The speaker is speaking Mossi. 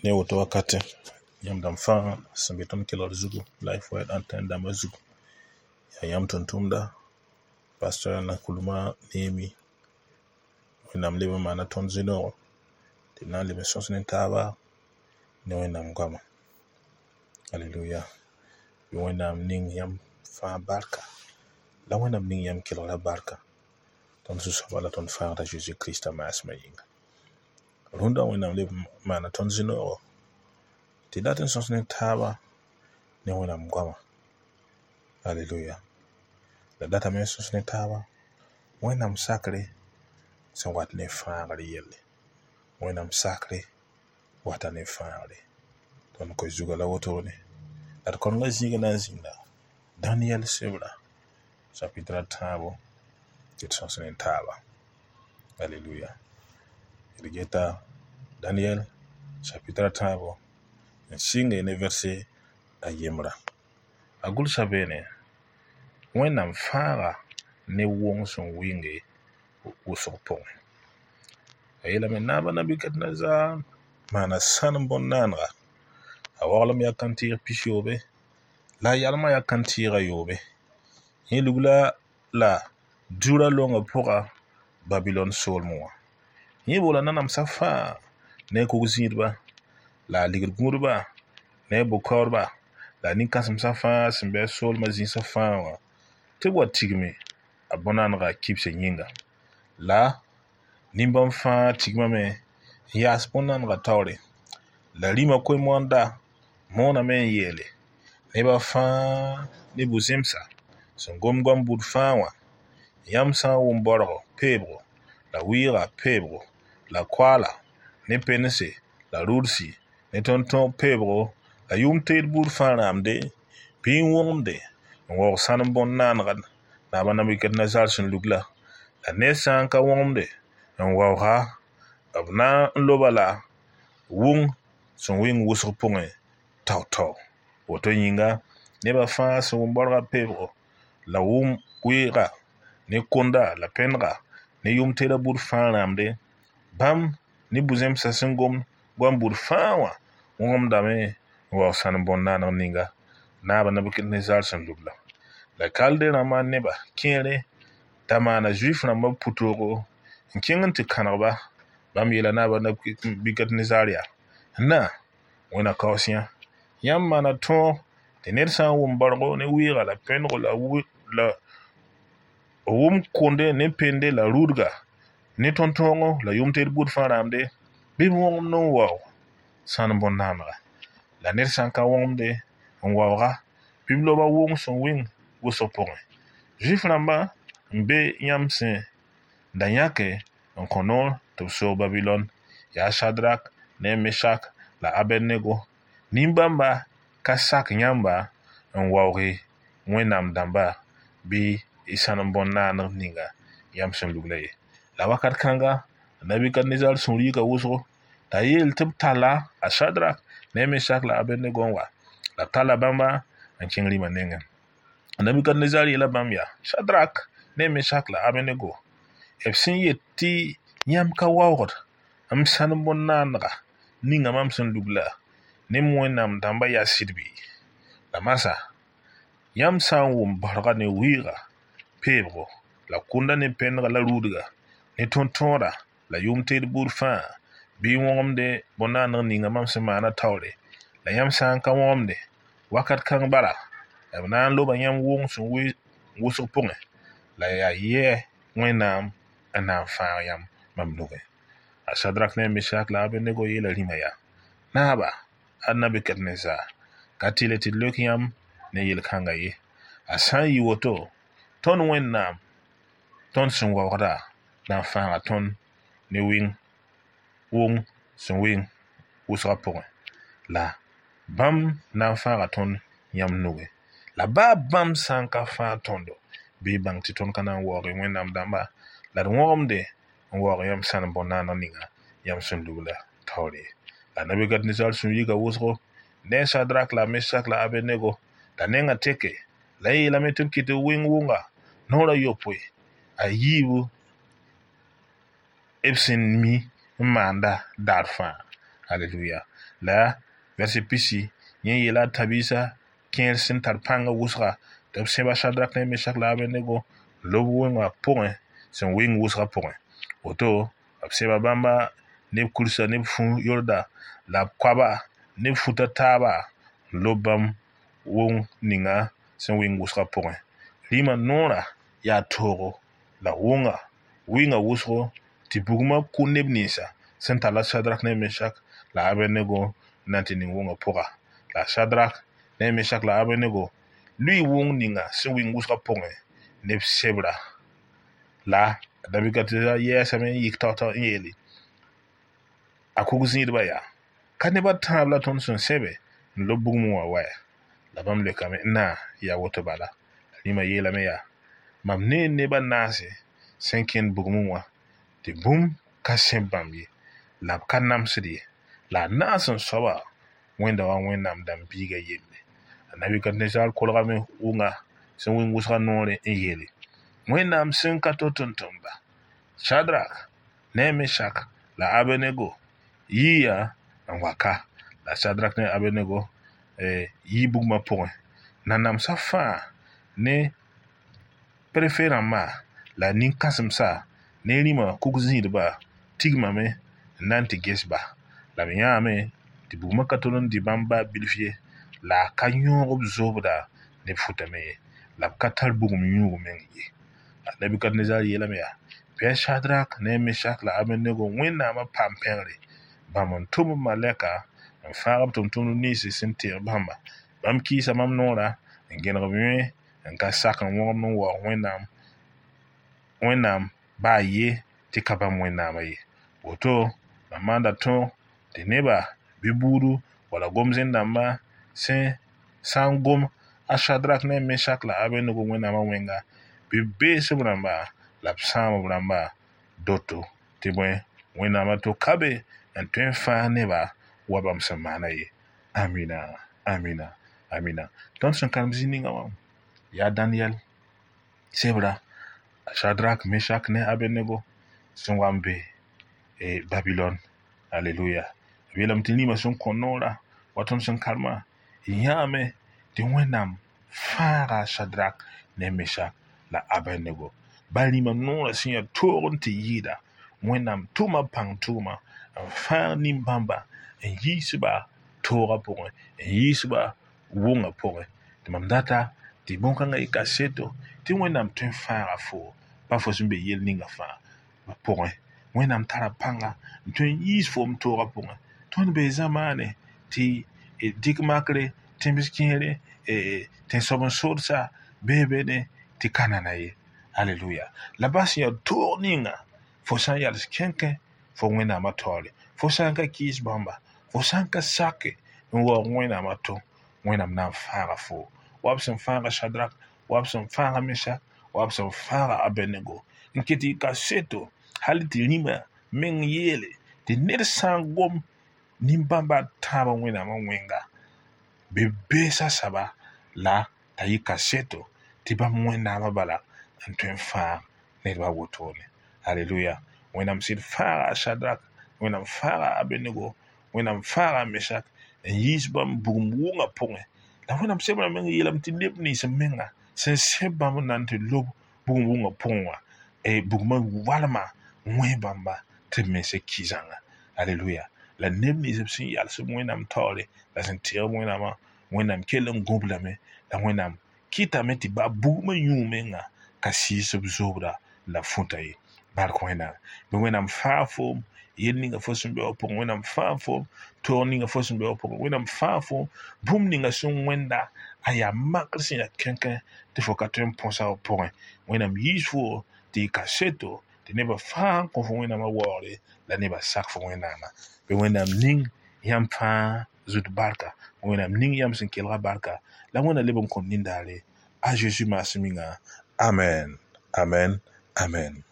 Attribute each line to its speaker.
Speaker 1: Ne woto wakatɛ, yãmb dãmb fãa sẽn be tõnd kelgr zugu, Lifewide antenne dãmbã zugu, yaa yãmb tʋm-tʋmda, pastor Nakulma Neemi. Wẽnnaam leb n maana tõnd zĩ-noogo tɩ d na n leb n sõs ne taaba ne Wẽnnaam goama. Aleluya. Bɩ Wẽnnaam ning yãmb fãa barka, la Wẽnnaam ning yãmb kelgrã barka, tõnd Zu-soaba la tõnd Fãagda Zeezi Krista maasmã yĩnga. Rũndã Wẽnnaam leb n maana tõnd zĩ-noogo tɩ dat n sõs ne taaba ne Wẽnnaam goama. Aleluya. La datame n sõs ne taaba Wẽnnaam sakre sẽn wat ne fãagr yelle. Wẽnnaam sakre wata ne fãagre. Tõnd koe zugã la wotone. La d kõnengã zĩigã na n zĩnda Daniɛl sebra chapitre a tãabo tɩ d sõs ne taaba. Aleluya. D geta Daniɛl chapitre a tãabo n sɩnge ne verse a yembra. A gʋlsa beene: Wẽnnaam fãaga ne wʋng sẽn wɩnge wʋsg pʋgẽ. A yeelame naaba Nabukadnezar maana sãnem bõn-naanega. A waglem yaa kãntɩɩg pis-yoobe la a yalmã yaa kãntɩɩg a yoobe. Yẽ lugla la Dura longã pʋga Babilɔn soolmẽ wã. Yẽ boola nanamsã fãa ne a kug-zĩidba la a ligd gũudba ne a bʋ-kaoodba la a nin-kãsemsã fãa sẽn be a soolmã zĩisã fãa wã tɩ b wa tigme a bõn-naanegã kibsã yĩnga. La nin-bãmb fãa tigmame n yaas bõn-naanegã taoore. La rĩmã koe-moanda mooname n yeele neba fãa ne bu-zẽmsa sẽn gom goam buud fãa wã: yãmb sã n wʋm baorgo peebgo la wɩɩga peebgo la koaala ne pense la rudsi ne tõnd-tõog peebgo la yʋʋm-teed buud fãa rãamde bɩ n wõgemde n waoog sãnem bõn-naanegã naaba Nabukadnezar sẽn lugla. La ned sã n ka wõgemde n waooga, b na n loba la wʋng sẽn wɩng wʋsg pʋgẽ tao-tao. Woto yĩnga nebã fãa sẽn wʋm baorgã peebgo la wʋm wɩɩga ne konda la pẽnega ne yʋʋm-teedã buud fãa rãamde, bãmb ne bu-zẽmsã sẽn gom goam buud fãa wã wõgemdame n waoog sãnem bõn-naaneg ninga naaba Nabukadnezar sẽn lugla. La Kalde rãmbã neba kẽere da maana Zuif rãmbã pʋ-toogo n kẽng n tɩ kãneg-ba. Bãmb yeela naaba Nabukadnezar yaa: Na, Wẽnna kaoos yã, yãmb maana tõog tɩ ned sã n wʋm baorgo ne wɩɩga la pẽnego la wʋm konde ne pende la rudga ne tõn-tõogo la yʋʋm-teed buud fãa rãamde, bɩ b wõgemd n waoog sãnem bõn-naanega. La ned sã n ka wõgemde n waooga, bɩ b loba wʋng sẽn wɩng wʋsg pʋgẽ. Zuif rãmbã n be yãmb sẽn da yãke n kõ noor tɩ b soog Babilɔn, yaa Shadrak ne Mesak la Abednego. Nin-bãmba ka sak yãmba n waooge Wẽnnaam dãmba bɩ y sãnem bõn-naaneg ninga yãmb sẽn lugla ye. La wakat kãnga Nabukadnezar sũur yika wʋsgo t'a yeel tɩ b talla a Shadrak ne Mesak la Abednego n wa. La b talla bãmba n kẽng rĩmã nengẽ. Nabukadnezar yeela bãmb yaa: Shadrak ne Mesak la Abednego, b sẽn yet tɩ yãmb ka waoogd m sãnem bõn-naanega ninga mam sẽn lugla ne m Wẽnnaam dãmbã yaa sɩd bɩ? La masã yãmb sã n wʋm baorga ne wɩɩga peebgo la kʋnda ne pẽnega la rudga ne tõn-tõoda la yʋʋm-teed buud fãa bɩ n wõgemde bõn-naaneg ninga mam sẽn maana taoore, la yãmb sã n ka wõgemde wakat kãng bala b na n loba yãmb wʋng sẽn wʋsg pʋgẽ, la yaa yɛ Wẽnnaam n na n fãag yãmb mam nugẽ. A Shadrak ne a Mesak la a Abednego yeela rĩmã yaa: Naaba, a Nabukadnezar ka tɩlɛ tɩ d leok yãmb ne yel-kãngã ye. A sã n yɩ woto, tõnd Wẽnnaam tõnd sẽn waoogda na n fãaga tõnd ne wɩng wʋng sẽn wɩng wʋsgã pʋgẽ. La bãmb na n fãaga tõnd yãmb nugẽ. La baa bãmb sã n ka fãag tõndo, bɩ y bãng tɩ tõnd ka na n waoog Wẽnnaam dãmba la d wõgemde n waoog yãmb sãnem bõn-naaneg ninga yãmb sẽn lugla taoore ye. La Nabukadnezar sũur yika wʋsgo ne Shadrak la Mesak la Abednego la nengã teke la y yeelame tɩ b kɩt wɩng wʋnga noor a yopoe a yiibu b sẽn mi n maanda daar fãa. Aleluya. La verset pisi yẽ yeela a tãb-biisã kẽer sẽn tar pãngã wʋsga tɩ b sẽba Shadrak ne Meshak la Abednego n lob wẽngã pʋgẽ sẽn wɩng wʋsgã pʋgẽ. Woto b sẽba bãmba ne b kursa ne b fu-yorda la b koaba ne b futa taaba n lob bãmb wʋng ninga sẽn wɩng wʋsgã pʋgẽ. Rĩmã noorã yaa toogo la wʋnga wɩnga wʋsgo tɩ bugmã kʋ neb ninsa sẽn talla Shadrak ne Meshak la Abednego n na n tɩ ning wʋngã pʋga. La Shadrak ne Meshak la Abednego lʋɩ wʋng ninga sẽn wɩng wʋsgã pʋgẽ ne b sebra. La Nabukadnezar yɛɛsame n yik tao-tao n yeele a kug-zĩidbã yaa ka neb a tãab la tõnd sẽn sẽbe n lob bugmẽ wã wɛ? La bãmb leokame n na yaa woto bala. La rĩmã yeelame yaa mam nee neb a naase sẽn kẽnd bugmẽ wã tɩ bũmb ka sẽb bãmb ye la b ka namsd ye. La a naas n soaba wẽnda wa Wẽnnaam dãmb biiga yelle. A Nabukadnezar kolgame wʋnga sẽn wɩng wʋsgã noore n yeele Wẽnnaam sẽn ka to tʋmtʋmda Shadrak ne Meshak la Abednego yiya n wa ka. La Shadrak ne Abednego yii bugmã pʋgẽ. Nanamsã fãa ne prefe rãmbã la nin-kãsemsa ne rĩmã kug-zĩidbã tigmame n na n tɩ ges ba. La b yãame tɩ bugmã ka tol n dɩ bãmb baa bilf ye la a ka yõog b zoobda ne b futame ye. La b ka tar bugum yũug meng ye. La Nabukadnezar yeelame yaa bɩ a Shadrak ne Meshak la Abednego Wẽnnaamã paam pẽgre bãmb n tʋm b malɛka n fãag b tʋmtʋmdb nins sẽn teeg bãmba. Bãmb kɩɩsa mam noorã n gẽneg b yõe n ka sak n wõgemd n waoog Wẽnnaam baa ye tɩ ka bãmb Wẽnnaamã ye. Woto mam maanda tõog tɩ neba bɩ buudu wala gom-zẽn-dãmba sẽn sã n gom a Shadrak ne Meshak la Abednego Wẽnnaamã wẽnga bɩ b bees b rãmba la b sãam b rãmba doto tɩ bõe Wẽnnaamã to ka be n tõe n fãag neba wa bãmb sẽn maana ye. Amina, amina, amina. Tõnd sẽn karem zĩ ninga wã yaa Daniel sebra Shadrak, Meshak ne Abednego sẽn wa n be Babilon. Aleluya. B yeelame tɩ rĩmã sẽn kõ noorã wa tõnd sẽn karemã yãame tɩ Wẽnnaam fãaga Shadrak ne Meshak la Abednego. Ba rĩmã noorã sẽn yaa toog n tɩ yɩɩda Wẽnnaam tʋma pãng tʋʋma n fãag nin-bãmba n yiis-ba toogã pʋgẽ n yiis-ba wʋngã pʋgẽ. Tɩ mam data tɩ bõn-kãngã yɩ kaseto tɩ Wẽnnaam tõe n fãaga fo pa fo sẽn be yell ninga fãa pʋgẽ. Wẽnnaam tara pãnga n tõe n yiis foom toogã pʋgẽ. Tõnd bee zamaane tɩ dɩk makre tẽms kẽere tẽn-soab n soodsa bee bene tɩ ka nana ye. Aleluya. La bas yaa toog ninga fo sã n yals kẽnkẽ fo Wẽnnaamã taoore. Fo sã n ka kɩɩs bãmba, fo sã n ka sake n waoog Wẽnnaamã to, Wẽnnaam na n fãaga fo. Wa b sẽn fãaga Shadrak, wa b sẽn fãaga Meshak, wa b sẽn fãaga Abednego. N ket tɩ kaseto hal tɩ rĩmã meng yeele tɩ ned sã n gom nin-bãmba a tãabã Wẽnnaamã wẽnga bɩ b beesa saba la t'a yɩ kaseto tɩ bãmb Wẽnnaamã bala n tõe n fãag nedba wotone. Aleluya. Wẽnnaam sɩd fãaga a Shadrak, Wẽnnaam fãaga a Abednego, Wẽnnaam fãaga a Meshak n yiis bãmb bugum wʋngã pʋgẽ. La Wẽnnaam sebrã meng yeelame tɩ neb nins menga sẽn sẽb bãmb n na n tɩ lob bugum wʋngã pʋgẽ wã bugmã walma wẽ bãmba tɩ b mense ki zãnga. Aleluya. La neb nins b sẽn yals b Wẽnnaam taoore la sẽn teeg b Wẽnnaamã, Wẽnnaam kell n gõb lame la Wẽnnaam kɩtame tɩ baa bugmã yũ menga ka sɩɩs b zoobda la fũta ye. Bark Wẽnnaam. Bɩ Wẽnnaam fãag foom yel ninga fo sẽn be wã pʋgẽ, Wẽnnaam fãag foom toog ninga fo sẽn be wã pʋgẽ, Wẽnnaam fãag foom bũmb ninga sẽn wẽnda a yaa makr sẽn yaa kẽnkẽ tɩ fo ka tõe n põsa b pʋgẽ. Wẽnnaam yiis fo tɩ y kaseto tɩ nebã fãa n kõ fo Wẽnnaamã waoogre la nebã sak fo Wẽnnaamã. Bɩ Wẽnnaam ning yãmb fãa zut barka, Wẽnnaam ning yãmb sẽn kelga barka la Wẽnna leb n kõt nindaare a Zeezi maasem yĩnga. Amen. Amen. Amen.